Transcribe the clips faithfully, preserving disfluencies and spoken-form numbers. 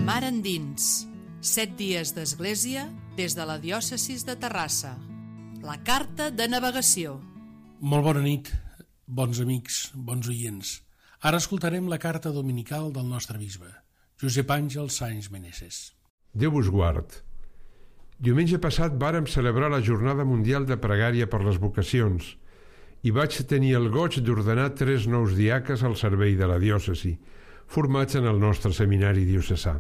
Mar endins, set dies d'església des de la diòcesi de Terrassa. La carta de navegació. Molt bona nit, bons amics, bons oients. Ara escoltarem la carta dominical del nostre bisbe, Josep Àngel Sáenz Meneses. Déu vos guard. Diumenge passat vàrem celebrar la Jornada Mundial de Pregària per les Vocacions i vaig tenir el goig d'ordenar tres nous diaques al servei de la diòcesi, formats en el nostre seminari diocesà.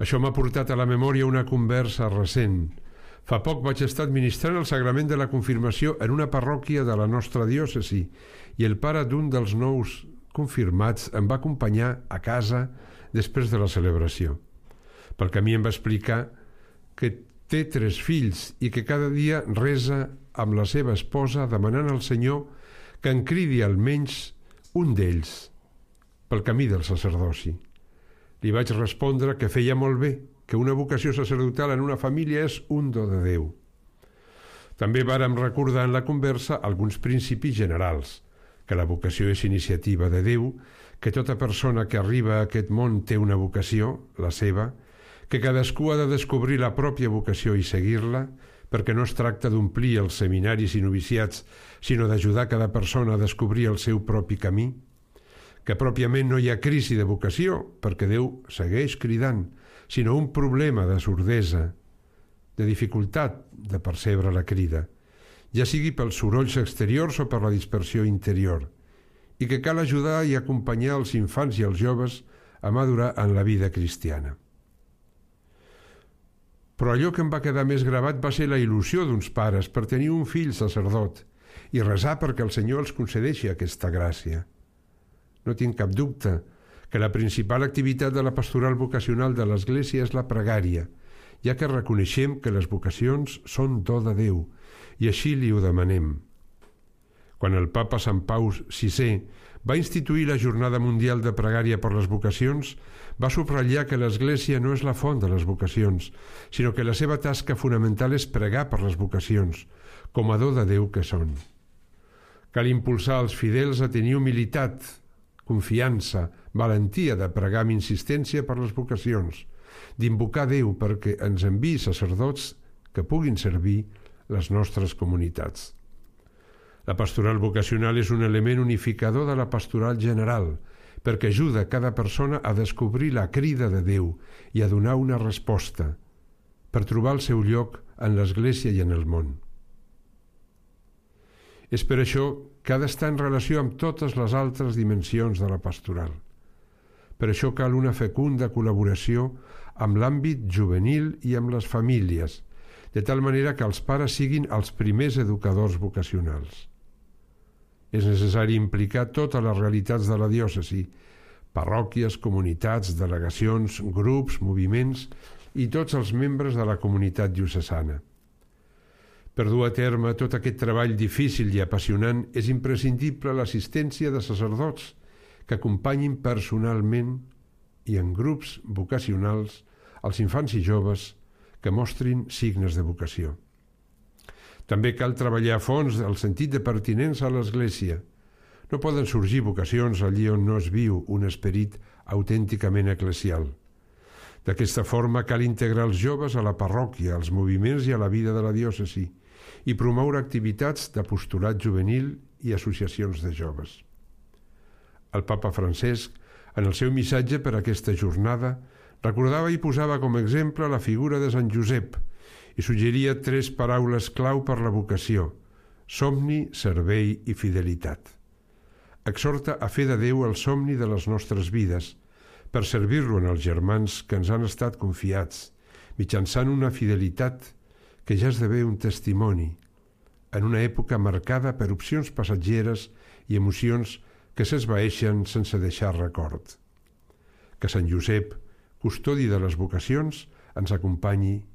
Això m'ha portat a la memòria una conversa recent. Fa poc vaig estar administrant el sagrament de la confirmació en una parròquia de la nostra diòcesi i el pare d'un dels nous confirmats em va acompanyar a casa després de la celebració. Pel camí em va explicar que té tres fills i que cada dia resa amb la seva esposa demanant al Senyor que en cridi almenys un d'ells pel camí del sacerdoci. Li vaig respondre que feia molt bé, que una vocació sacerdotal en una família és un do de Déu. També vàrem recordar en la conversa alguns principis generals, que la vocació és iniciativa de Déu, que tota persona que arriba a aquest món té una vocació, la seva, que cadascú ha de descobrir la pròpia vocació i seguir-la, perquè no es tracta d'omplir els seminaris i noviciats, sinó d'ajudar cada persona a descobrir el seu propi camí, que pròpiament no hi ha crisi de vocació, perquè Déu segueix cridant, sinó un problema de sordesa, de dificultat de percebre la crida, ja sigui pels sorolls exteriors o per la dispersió interior, i que cal ajudar i acompanyar els infants i els joves a madurar en la vida cristiana. Però allò que em va quedar més gravat va ser la il·lusió d'uns pares per tenir un fill sacerdot i resar perquè el Senyor els concedeixi aquesta gràcia. No tinc cap dubte que la principal activitat de la pastoral vocacional de l'Església és la pregària, ja que reconeixem que les vocacions són do de Déu i així li ho demanem. Quan el papa Sant Pau sisè va instituir la Jornada Mundial de Pregària per les Vocacions, va subratllar que l'Església no és la font de les vocacions, sinó que la seva tasca fonamental és pregar per les vocacions, com a do de Déu que són. Cal impulsar els fidels a tenir humilitat, confiança, valentia de pregar amb insistència per les vocacions, d'invocar Déu perquè ens enviï sacerdots que puguin servir les nostres comunitats. La pastoral vocacional és un element unificador de la pastoral general, perquè ajuda cada persona a descobrir la crida de Déu i a donar una resposta, per trobar el seu lloc en l'Església i en el món. És per això que ha d'estar en relació amb totes les altres dimensions de la pastoral. Per això cal una fecunda col·laboració amb l'àmbit juvenil i amb les famílies, de tal manera que els pares siguin els primers educadors vocacionals. És necessari implicar totes les realitats de la diòcesi, parròquies, comunitats, delegacions, grups, moviments i tots els membres de la comunitat diocesana. Per dur a terme tot aquest treball difícil i apassionant és imprescindible l'assistència de sacerdots que acompanyin personalment i en grups vocacionals els infants i joves que mostrin signes de vocació. També cal treballar a fons el sentit de pertinença a l'Església. No poden sorgir vocacions allí on no es viu un esperit autènticament eclesial. D'aquesta forma cal integrar els joves a la parròquia, als moviments i a la vida de la diòcesi i promoure activitats d'apostolat juvenil i associacions de joves. El papa Francesc, en el seu missatge per aquesta jornada, recordava i posava com a exemple la figura de Sant Josep i suggeria tres paraules clau per la vocació: somni, servei i fidelitat. Exhorta a fer de Déu el somni de les nostres vides, per servir-lo en els germans que ens han estat confiats, mitjançant una fidelitat que ja esdevé un testimoni, en una època marcada per opcions passatgeres i emocions que s'esvaeixen sense deixar record. Que Sant Josep, custodi de les vocacions, ens acompanyi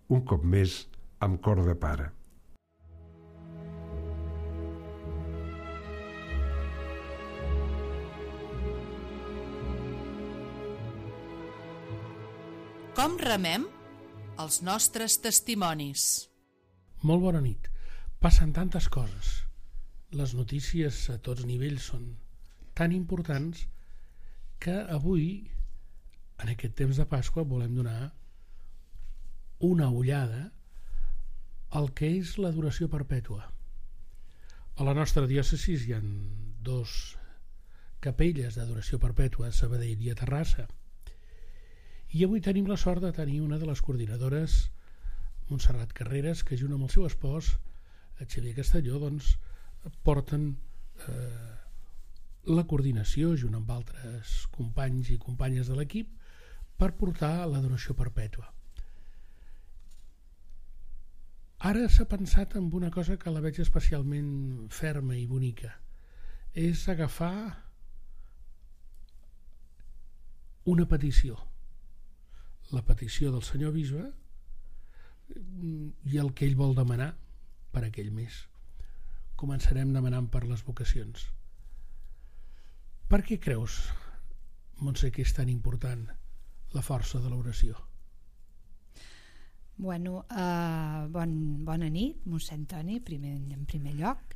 un cop més amb cor de pare. Com remem els nostres testimonis? Molt bona nit. Passen tantes coses. Les notícies a tots nivells són tan importants que avui en aquest temps de Pasqua volem donar una ullada al que és l'adoració perpètua. A la nostra diòcesi hi ha dos capelles d'adoració perpètua a Sabadell i a Terrassa, i avui tenim la sort de tenir una de les coordinadores, Montserrat Carreras, que junt amb el seu espòs, Xavier Castelló, doncs, porten eh, la coordinació junt amb altres companys i companyes de l'equip per portar l'adoració perpètua. Ara s'ha pensat en una cosa que la veig especialment ferma i bonica. És agafar una petició. La petició del senyor bisbe i el que ell vol demanar per aquell mes. Començarem demanant per les vocacions. Per què creus, Montse, que és tan important la força de l'oració? Bueno, uh, bon, bona nit, mossèn Toni, primer, en primer lloc,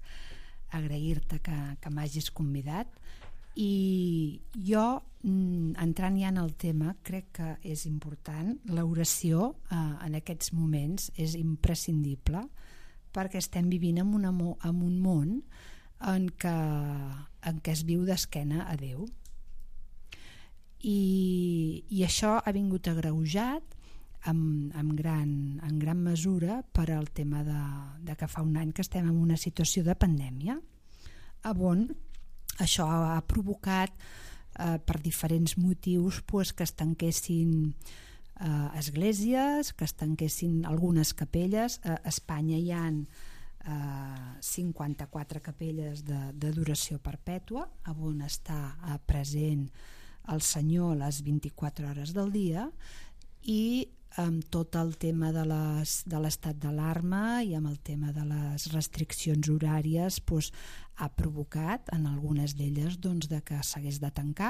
agrair-te que, que m'hagis convidat, i jo, entrant ja en el tema, crec que és important. L'oració uh, en aquests moments és imprescindible perquè estem vivint en, una, en un món en què, en què es viu d'esquena a Déu, i, i això ha vingut agreujat En, en, gran, en gran mesura per al tema de, de que fa un any que estem en una situació de pandèmia, on això ha provocat eh, per diferents motius pues, que es tanquessin eh, esglésies, que es tanquessin algunes capelles. A Espanya hi ha eh, cinquanta-quatre capelles d'adoració perpètua, on està eh, present el Senyor les vint-i-quatre hores del dia, i amb tot el tema de les, de l'estat d'alarma i amb el tema de les restriccions horàries doncs, ha provocat en algunes d'elles doncs, de que s'hagués de tancar,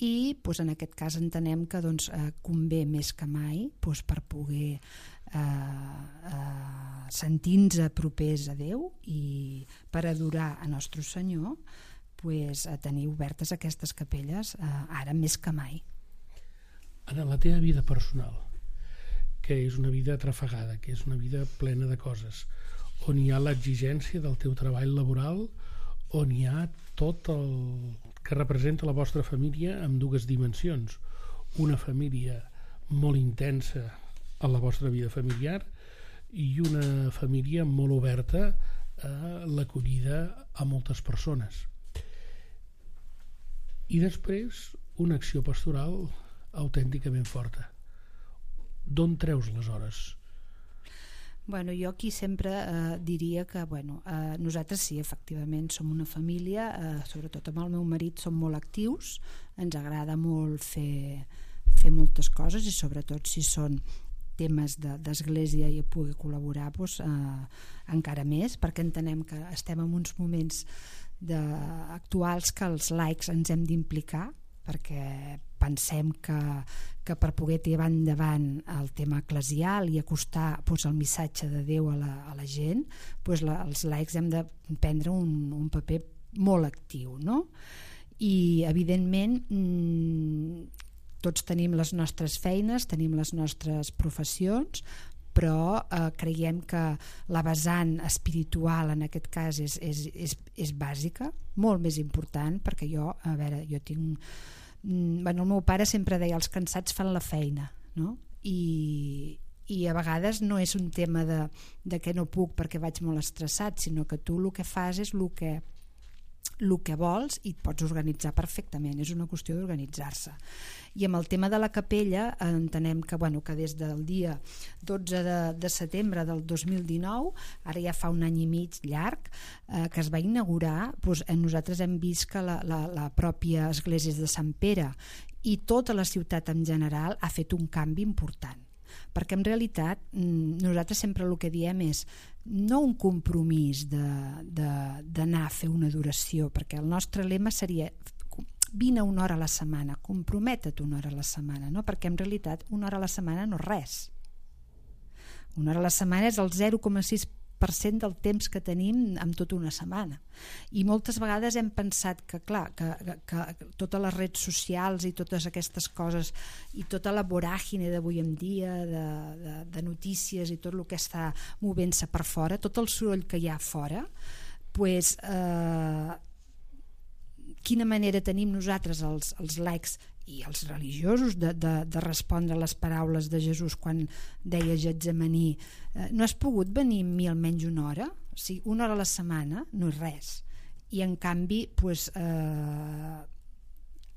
i doncs, en aquest cas entenem que doncs, eh, convé més que mai doncs, per poder eh, eh, sentir-nos propers a Déu i per adorar a Nostre Senyor, doncs, a tenir obertes aquestes capelles eh, ara més que mai. En la teva vida personal, que és una vida atrafegada, que és una vida plena de coses, on hi ha l'exigència del teu treball laboral, on hi ha tot el que representa la vostra família amb dues dimensions, una família molt intensa a la vostra vida familiar i una família molt oberta a l'acollida a moltes persones. I després una acció pastoral autènticament forta. D'on treus les hores? Bueno, jo aquí sempre eh, diria que bueno, eh, nosaltres sí, efectivament som una família, eh, sobretot amb el meu marit som molt actius, ens agrada molt fer, fer moltes coses, i sobretot si són temes d'església i poder col·laborar doncs, eh, encara més, perquè entenem que estem en uns moments de, actuals que els laics ens hem d'implicar, perquè pensem que, que per poder tirar endavant el tema eclesial i acostar doncs, el missatge de Déu a la, a la gent, doncs, la, els laics hem de prendre un, un paper molt actiu, no? I evidentment mmm, tots tenim les nostres feines, tenim les nostres professions, però eh, creiem que la vessant espiritual en aquest cas és, és, és, és bàsica, molt més important, perquè jo, a veure, jo tinc... Bueno, el meu pare sempre deia els cansats fan la feina, no? I, i a vegades no és un tema de, de que no puc perquè vaig molt estressat, sinó que tu el que fas és el que, el que vols i et pots organitzar perfectament, és una qüestió d'organitzar-se. I amb el tema de la capella entenem que, bueno, que des del dia dotze de, de setembre del dos mil dinou, ara ja fa un any i mig llarg, eh, que es va inaugurar, doncs, nosaltres hem vist que la, la, la pròpia església de Sant Pere i tota la ciutat en general ha fet un canvi important, perquè en realitat nosaltres sempre el que diem és no un compromís d'anar a fer una adoració, perquè el nostre lema seria vine una hora a la setmana, compromete't una hora a la setmana, no? Perquè en realitat una hora a la setmana no és res. Una hora a la setmana és el zero coma sis per cent del temps que tenim en tota una setmana. I moltes vegades hem pensat que, clar, que, que, que totes les redes socials i totes aquestes coses i tota la voràgine d'avui en dia de, de, de notícies i tot el que està movent-se per fora, tot el soroll que hi ha fora, pues, eh, quina manera tenim nosaltres els, els laics i els religiosos de, de, de respondre a les paraules de Jesús quan deia Getsemaní, eh, no has pogut venir amb mi almenys una hora? O sigui, una hora a la setmana no és res, i en canvi pues, eh,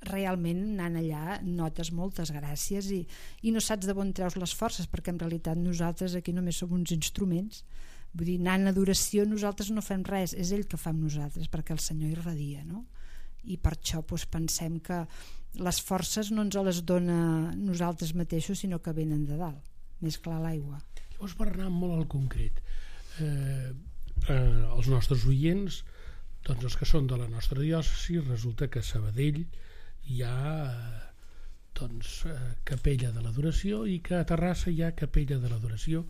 realment anant allà notes moltes gràcies i, i no saps de on treus les forces, perquè en realitat nosaltres aquí només som uns instruments. Vull dir, anant a adoració nosaltres no fem res, és ell que fa amb nosaltres, perquè el Senyor irradia, no? I per això doncs, pensem que les forces no ens les dona nosaltres mateixos, sinó que venen de dalt, més clar l'aigua. Llavors, per anar molt al concret, eh, eh, els nostres oients, doncs els que són de la nostra diòcesi, resulta que a Sabadell hi ha eh, doncs, eh, capella de l'adoració i que a Terrassa hi ha capella de l'adoració,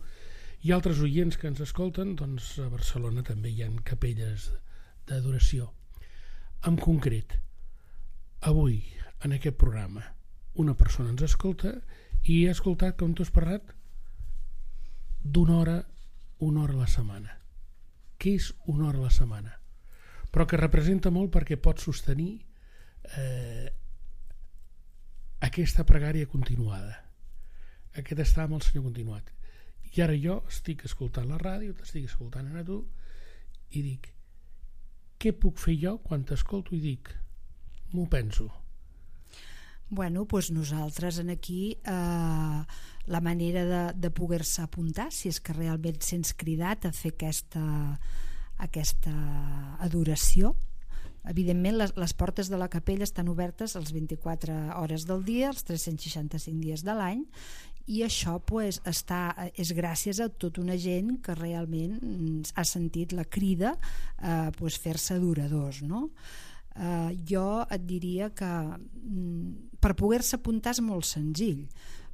i altres oients que ens escolten, doncs a Barcelona també hi ha capelles d'adoració. En concret, avui, en aquest programa, una persona ens escolta i ha escoltat, com tu has parlat, d'una hora, una hora a la setmana. Què és una hora a la setmana? Però que representa molt perquè pot sostenir eh, aquesta pregària continuada, aquest estar amb el Senyor continuat. I ara jo estic escoltant la ràdio, t'estic escoltant a tu, i dic, què puc fer jo quan t'escolto i dic, m'ho penso? Bueno, doncs nosaltres en aquí eh, la manera de, de poder-se apuntar, si és que realment sents cridat a fer aquesta, aquesta adoració. Evidentment les, les portes de la capella estan obertes les vint-i-quatre hores del dia, els tres-cents seixanta-cinc dies de l'any, i això pues, està, és gràcies a tota una gent que realment ha sentit la crida a pues, fer-se adoradors, no? Eh, jo et diria que mm, per poder-se apuntar és molt senzill,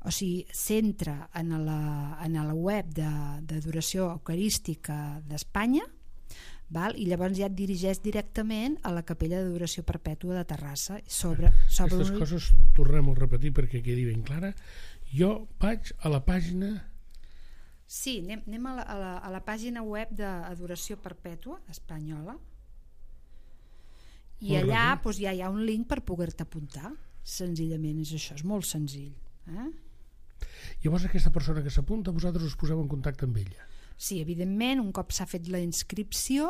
o sigui, s'entra en la, en la web d'adoració eucarística d'Espanya, val? I llavors ja et dirigeix directament a la capella d'adoració perpètua de Terrassa. Sobre, sobre Aquestes un... coses tornem a repetir perquè quedi ben clara. Jo vaig a la pàgina... Sí, anem, anem a, la, a, la, a la pàgina web d'Adoració Perpètua espanyola i allà doncs, ja hi ha un link per poder-te apuntar. Senzillament és això, és molt senzill. Eh? Llavors aquesta persona que s'apunta, vosaltres us poseu en contacte amb ella? Sí, evidentment, un cop s'ha fet la inscripció,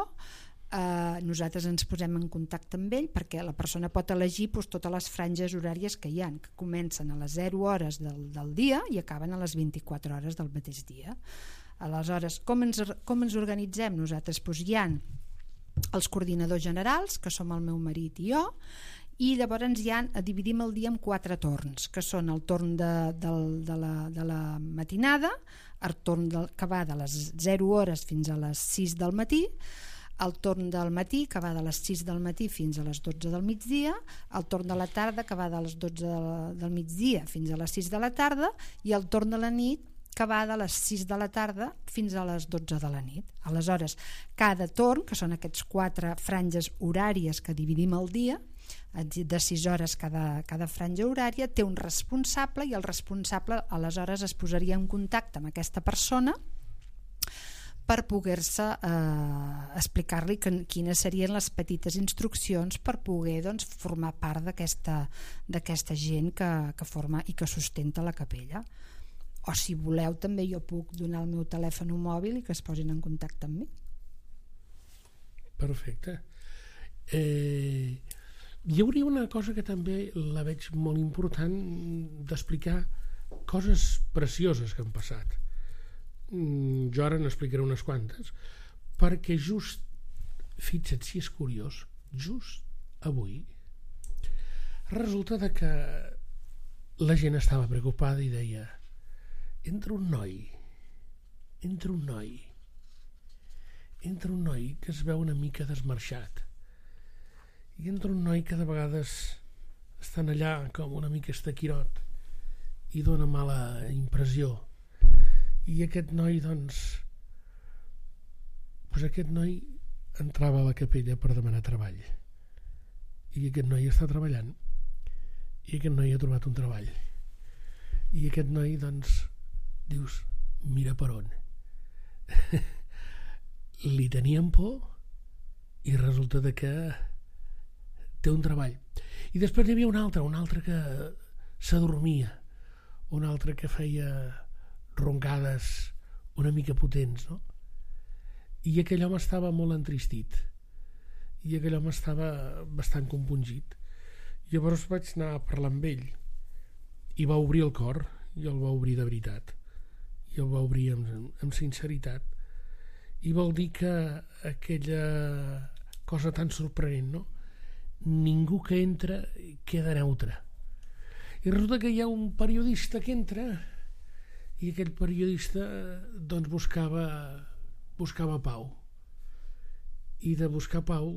eh, nosaltres ens posem en contacte amb ell perquè la persona pot elegir doncs, totes les franges horàries que hi ha, que comencen a les zero hores del, del dia i acaben a les vint-i-quatre hores del mateix dia. Aleshores, com ens, com ens organitzem? Nosaltres doncs, hi ha els coordinadors generals, que som el meu marit i jo, i llavors hi ha, dividim el dia en quatre torns, que són el torn de, de, de, la, de la matinada, el torn de, que va de les zero hores fins a les sis del matí, el torn del matí que va de les sis del matí fins a les dotze del migdia, el torn de la tarda que va de les dotze del, del migdia fins a les sis de la tarda i el torn de la nit que va de les sis de la tarda fins a les dotze de la nit. Aleshores, cada torn, que són aquests quatre franges horàries que dividim el dia, de sis hores cada, cada franja horària, té un responsable i el responsable aleshores es posaria en contacte amb aquesta persona per poder-se eh, explicar-li que, quines serien les petites instruccions per poder doncs, formar part d'aquesta d'aquesta gent que, que forma i que sustenta la capella. O si voleu també jo puc donar el meu telèfon mòbil i que es posin en contacte amb mi. Perfecte. Eh, hi hauria una cosa que també la veig molt important d'explicar, coses precioses que han passat. Jo ara n'explicaré unes quantes, perquè just, fixa't si és curiós, just avui resulta que la gent estava preocupada i deia, entra un noi entra un noi entra un noi que es veu una mica desmarxat i entra un noi que de vegades estan allà com una mica estaquirot i dona mala impressió. I aquest noi, doncs, doncs aquest noi entrava a la capella per demanar treball, i aquest noi està treballant, i aquest noi ha trobat un treball, i aquest noi, doncs, dius, mira per on. Li tenien por i resulta de que té un treball. I després hi havia un altre, un altre que s'adormia, un altre que feia roncades una mica potents, no? I aquell home estava molt entristit, i aquell home estava bastant compungit. Llavors vaig anar a parlar amb ell, i va obrir el cor, i el va obrir de veritat, i el va obrir amb, amb sinceritat, i vol dir que aquella cosa tan sorprenent, no? Ningú que entra queda neutre, i resulta que hi ha un periodista que entra, i aquell periodista doncs buscava buscava pau, i de buscar pau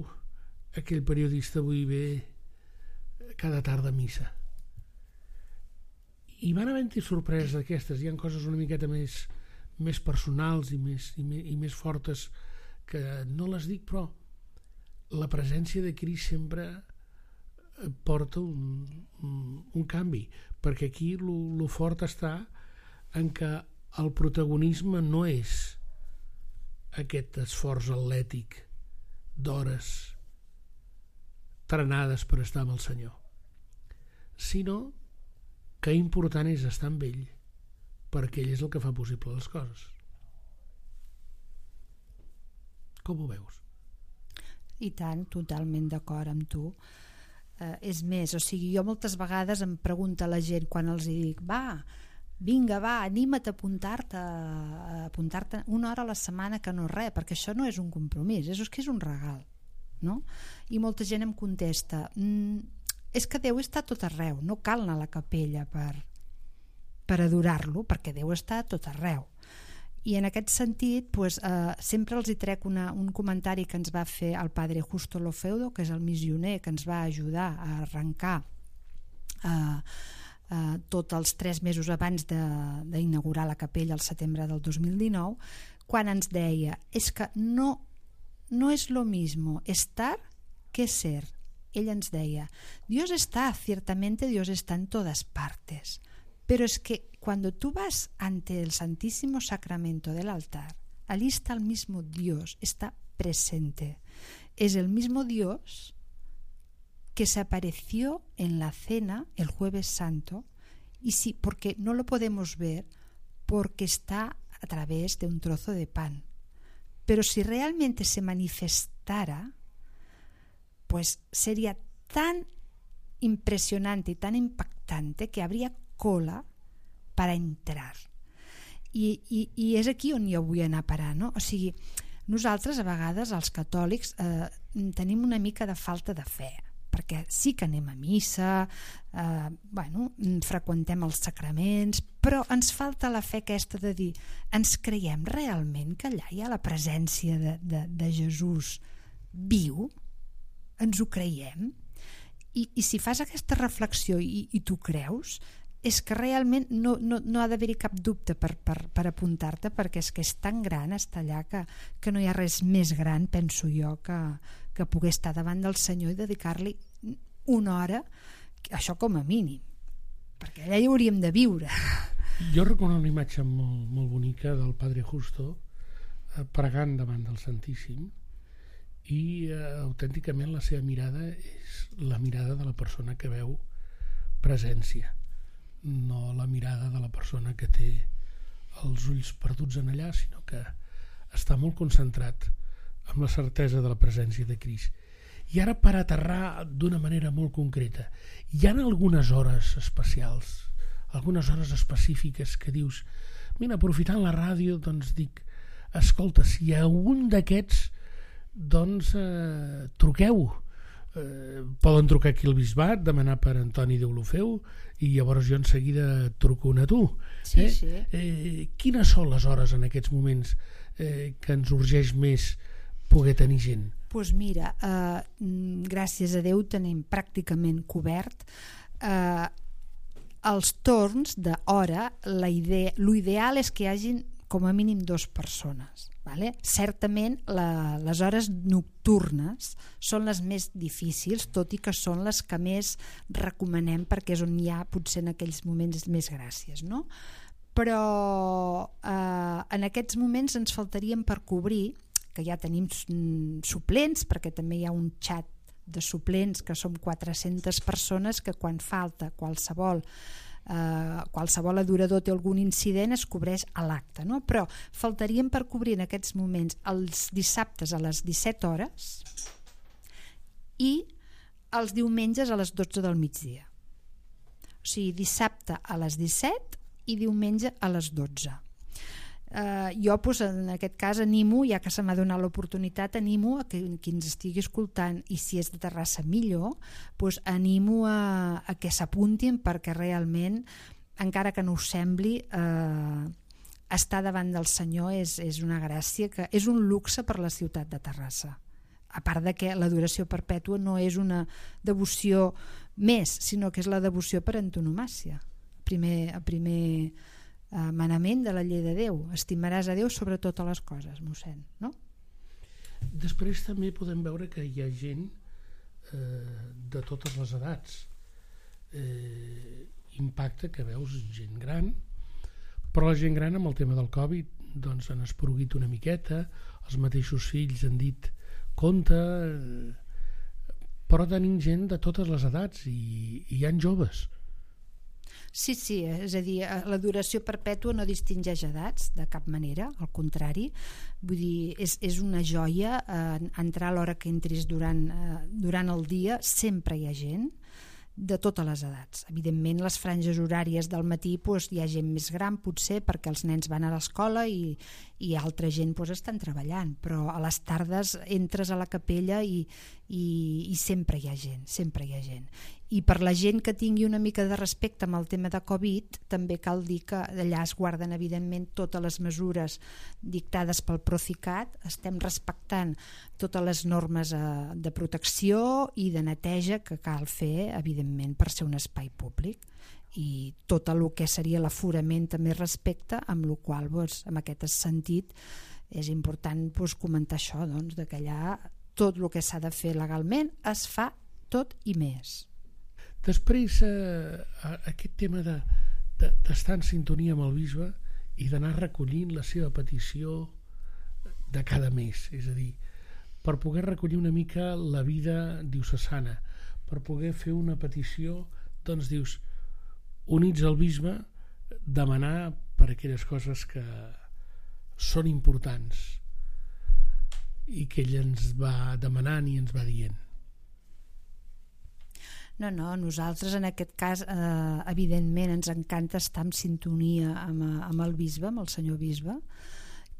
aquell periodista avui ve cada tarda a missa. I van havent-hi sorpreses d'aquestes. Hi ha coses una miqueta més, més personals i més, i, més, i més fortes que no les dic, però la presència de Crist sempre porta un, un, un canvi, perquè aquí lo fort està en què el protagonisme no és aquest esforç atlètic d'hores trenades per estar amb el Senyor, sinó que important és estar amb ell, perquè ell és el que fa possible les coses. Com ho veus? I tant, totalment d'acord amb tu. Eh, és més, o sigui, jo moltes vegades em pregunta la gent quan els dic, va, vinga, va, anima't a apuntar-te, a apuntar-te una hora a la setmana, que no és res, perquè això no és un compromís, és que és un regal, no? I molta gent em contesta, mm, és que Déu està a tot arreu, no cal anar a la capella per, per adorar-lo, perquè Déu està a tot arreu. I en aquest sentit, pues, eh, sempre els hi trec una, un comentari que ens va fer el padre Justo Lofeudo, que és el missioner que ens va ajudar a arrencar eh, eh, tots els tres mesos abans d'inaugurar la capella al setembre del dos mil dinou, quan ens deia, és que no, no és lo mismo estar que ser. Ell ens deia, Dios está, ciertamente Dios está en todas partes, pero es que cuando tú vas ante el Santísimo Sacramento del altar, allí está el mismo Dios, está presente. Es el mismo Dios que se apareció en la cena el Jueves Santo, y sí, porque no lo podemos ver porque está a través de un trozo de pan. Pero si realmente se manifestara, pues sería tan impresionante y tan impactante que habría cola para entrar. I, i, i és aquí on jo vull anar a parar, no? O sigui, nosaltres a vegades, els catòlics, eh, tenim una mica de falta de fe, perquè sí que anem a missa, eh, bueno, freqüentem els sacraments, però ens falta la fe aquesta de dir, ens creiem realment que allà hi ha la presència de, de, de Jesús viu? Ens ho creiem? I, i si fas aquesta reflexió i, i tu creus, és que realment no, no, no ha d'haver-hi cap dubte per, per, per apuntar-te, perquè és que és tan gran estar allà que, que no hi ha res més gran, penso jo, que, que poder estar davant del Senyor i dedicar-li una hora, això com a mínim, perquè allà hi hauríem de viure. Jo recordo una imatge molt, molt bonica del Padre Justo eh, pregant davant del Santíssim, i eh, autènticament la seva mirada és la mirada de la persona que veu presència, no la mirada de la persona que té els ulls perduts en allà, sinó que està molt concentrat amb la certesa de la presència de Crist. I ara, per aterrar d'una manera molt concreta, hi ha algunes hores especials, algunes hores específiques que dius, mira, aprofitant la ràdio, doncs dic, escolta, si hi ha un d'aquests, doncs eh, truqueu. Eh, poden trucar aquí al Bisbat, demanar per Antoni Deulofeu, i llavors jo en seguida truco a tu. Sí, eh? sí. Eh, quines són les hores en aquests moments eh, que ens urgeix més poder tenir gent? Doncs pues mira, eh, gràcies a Déu tenim pràcticament cobert eh, els torns d'hora. L'ideal és que hi hagin com a mínim dues persones. Vale? Certament la, les hores nocturnes són les més difícils, tot i que són les que més recomanem perquè és on hi ha potser en aquells moments més gràcies, no? Però eh, en aquests moments ens faltarien per cobrir, que ja tenim suplents, perquè també hi ha un xat de suplents que som quatre-centes persones que quan falta qualsevol eh, qualsevol adorador té algun incident es cobreix a l'acte, no? Però faltarien per cobrir en aquests moments els dissabtes a les disset hores i els diumenges a les dotze del migdia, o sigui, dissabte a les disset i diumenge a les dotze. Uh, jo pues, en aquest cas animo, ja que se m'ha donat l'oportunitat, animo a que qui ens estigui escoltant, i si és de Terrassa millor, pues, animo a, a que s'apuntin, perquè realment, encara que no us sembli, uh, estar davant del Senyor és, és una gràcia, que és un luxe per la ciutat de Terrassa, a part de que l'adoració perpètua no és una devoció més, sinó que és la devoció per antonomàsia. Primer, a primer manament de la llei de Déu, estimaràs a Déu sobre totes les coses, mossèn, no? Després també podem veure que hi ha gent eh, de totes les edats. Eh, impacta que veus gent gran, però la gent gran amb el tema del Covid doncs han esporuguit una miqueta, els mateixos fills han dit compte, eh, però tenim gent de totes les edats i, i hi ha joves. Sí, sí, és a dir, l'adoració perpètua no distingeix edats de cap manera, al contrari, vull dir, és, és una joia, eh, entrar a l'hora que entris durant, eh, durant el dia, sempre hi ha gent de totes les edats. Evidentment, les franges horàries del matí doncs, hi ha gent més gran, potser, perquè els nens van a l'escola i, i altra gent doncs, estan treballant, però a les tardes entres a la capella i, i, i sempre hi ha gent, sempre hi ha gent. I per la gent que tingui una mica de respecte amb el tema de Covid, també cal dir que allà es guarden evidentment totes les mesures dictades pel Procicat, estem respectant totes les normes de protecció i de neteja que cal fer, evidentment, per ser un espai públic, i tot el que seria l'aforament també respecte, amb el qual, doncs, en aquest sentit, és important doncs, comentar això, doncs, de que allà tot el que s'ha de fer legalment es fa tot i més. Després, eh, aquest tema de, de, d'estar en sintonia amb el bisbe i d'anar recollint la seva petició de cada mes, és a dir, per poder recollir una mica la vida diocesana, per poder fer una petició, doncs dius, units al bisbe, demanar per aquelles coses que són importants i que ell ens va demanant i ens va dient. No, no, nosaltres en aquest cas eh, evidentment ens encanta estar en sintonia amb, amb el bisbe, amb el senyor bisbe,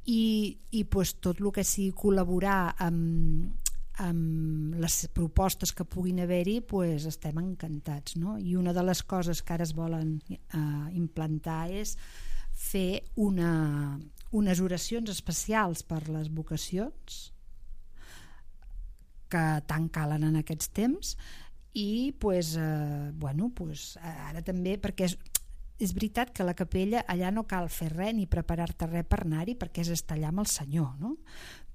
i, i pues, tot el que sigui col·laborar amb, amb les propostes que puguin haver-hi, pues, estem encantats, no? I una de les coses que ara es volen eh, implantar és fer una, unes oracions especials per les vocacions que tant calen en aquests temps. I pues, eh, bueno, pues, ara també, perquè és, és veritat que a la capella allà no cal fer res ni preparar-te res per anar-hi, perquè és estar allà amb el Senyor, no?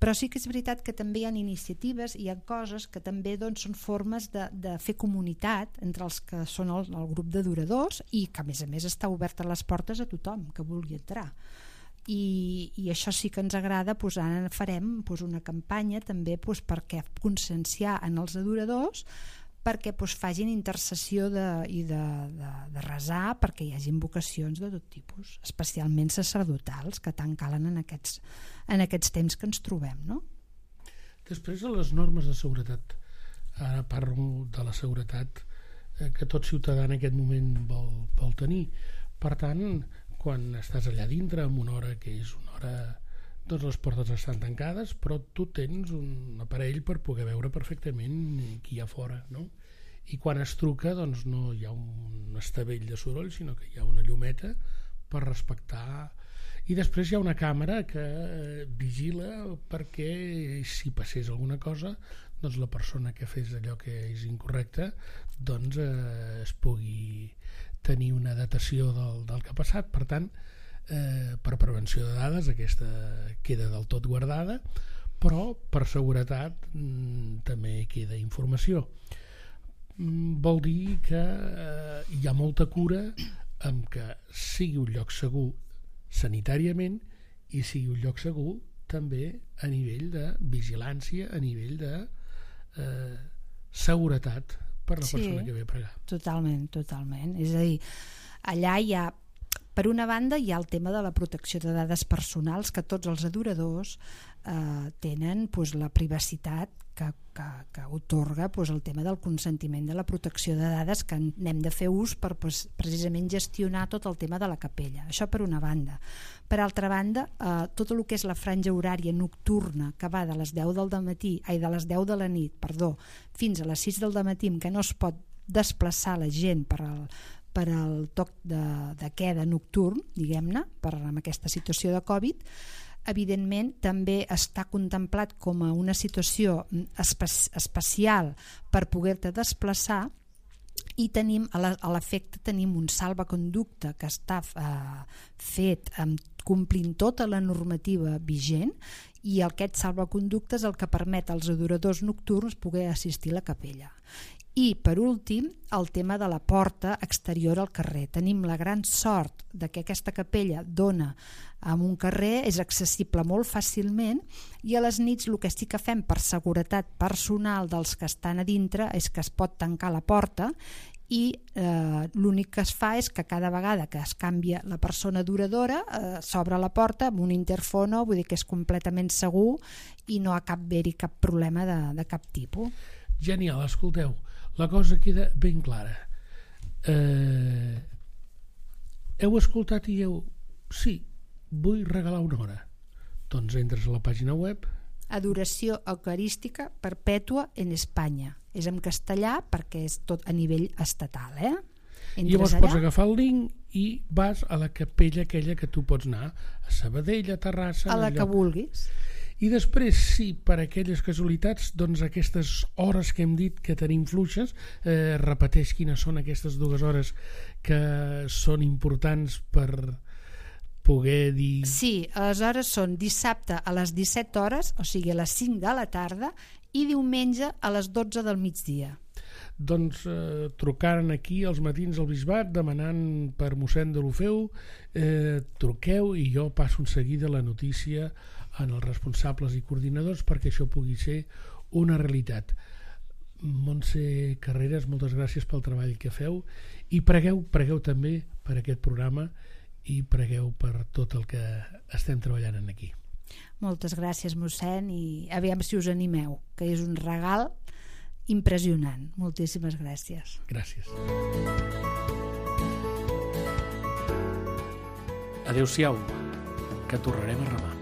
Però sí que és veritat que també hi ha iniciatives, hi ha coses que també doncs, són formes de, de fer comunitat entre els que són el, el grup d'adoradors i que a més a més està obert a les portes a tothom que vulgui entrar. I, i això sí que ens agrada, doncs ara farem doncs, una campanya també doncs, perquè conscienciar en els adoradors perquè doncs, facin intercessió de, i de, de, de resar perquè hi hagi vocacions de tot tipus, especialment sacerdotals, que tant calen en aquests, en aquests temps que ens trobem, no? Després de les normes de seguretat, ara parlo de la seguretat eh, que tot ciutadà en aquest moment vol, vol tenir. Per tant, quan estàs allà dintre en una hora que és una hora, doncs les portes estan tancades, però tu tens un aparell per poder veure perfectament qui hi ha fora, no? I quan es truca, doncs no hi ha un estavell de soroll, sinó que hi ha una llumeta per respectar. I després hi ha una càmera que vigila perquè si passés alguna cosa, doncs la persona que fes allò que és incorrecte doncs eh, es pugui tenir una datació del, del que ha passat. Per tant, eh, per prevenció de dades aquesta queda del tot guardada, però per seguretat mm, també queda informació. Mm, vol dir que eh, hi ha molta cura amb que sigui un lloc segur sanitàriament i sigui un lloc segur també a nivell de vigilància, a nivell de eh, seguretat per la Sí, persona que ve a pregar. Totalment, totalment. És a dir, allà hi ha, per una banda, hi ha el tema de la protecció de dades personals, que tots els adoradors eh, tenen pues, la privacitat que, que, que otorga pues, el tema del consentiment de la protecció de dades, que n'hem de fer ús per pues, precisament gestionar tot el tema de la capella. Això per una banda. Per altra banda, eh, tot el que és la franja horària nocturna, que va de les deu del matí, ai, de les deu de la nit, perdó, fins a les sis del matí, que no es pot desplaçar la gent per al, per al toc de, de queda nocturn, diguem-ne, per amb aquesta situació de Covid, evidentment també està contemplat com a una situació espe especial per poder-te desplaçar, i tenim a l'efecte tenim un salvaconducte que està eh, fet amb, complint tota la normativa vigent, i aquest salvaconducte és el que permet als adoradors nocturns poder assistir a la capella. I per últim, el tema de la porta exterior al carrer. Tenim la gran sort de que aquesta capella dona en un carrer, és accessible molt fàcilment, i a les nits el que sí que fem per seguretat personal dels que estan a dintre és que es pot tancar la porta, i eh, l'únic que es fa és que cada vegada que es canvia la persona adoradora eh, s'obre la porta amb un interfono, vull dir que és completament segur i no ha cap haver-hi cap problema de, de cap tipus. Genial, escolteu, la cosa queda ben clara. Eh, heu escoltat i heu... Sí, vull regalar una hora. Doncs entres a la pàgina web. Adoració eucarística perpètua en Espanya. És en castellà perquè és tot a nivell estatal, eh? I llavors allà, pots agafar el link i vas a la capella aquella que tu pots anar, a Sabadell, a Terrassa... A la que vulguis. I després, sí, per aquelles casualitats, doncs aquestes hores que hem dit que tenim fluixes, eh, repeteix quines són aquestes dues hores que són importants per poder dir... Sí, aleshores són dissabte a les disset hores, o sigui a les cinc de la tarda, i diumenge a les dotze del migdia. Doncs eh, trucaren aquí als matins al bisbat demanant per mossèn de l'Ofeu, eh, truqueu i jo passo en seguida la notícia en els responsables i coordinadors perquè això pugui ser una realitat. Montse Carreras, moltes gràcies pel treball que feu i pregueu, pregueu també per aquest programa i pregueu per tot el que estem treballant aquí. Moltes gràcies, mossèn, i aviam si us animeu, que és un regal impressionant. Moltíssimes gràcies. Gràcies. Adéu-siau, que tornarem a remar.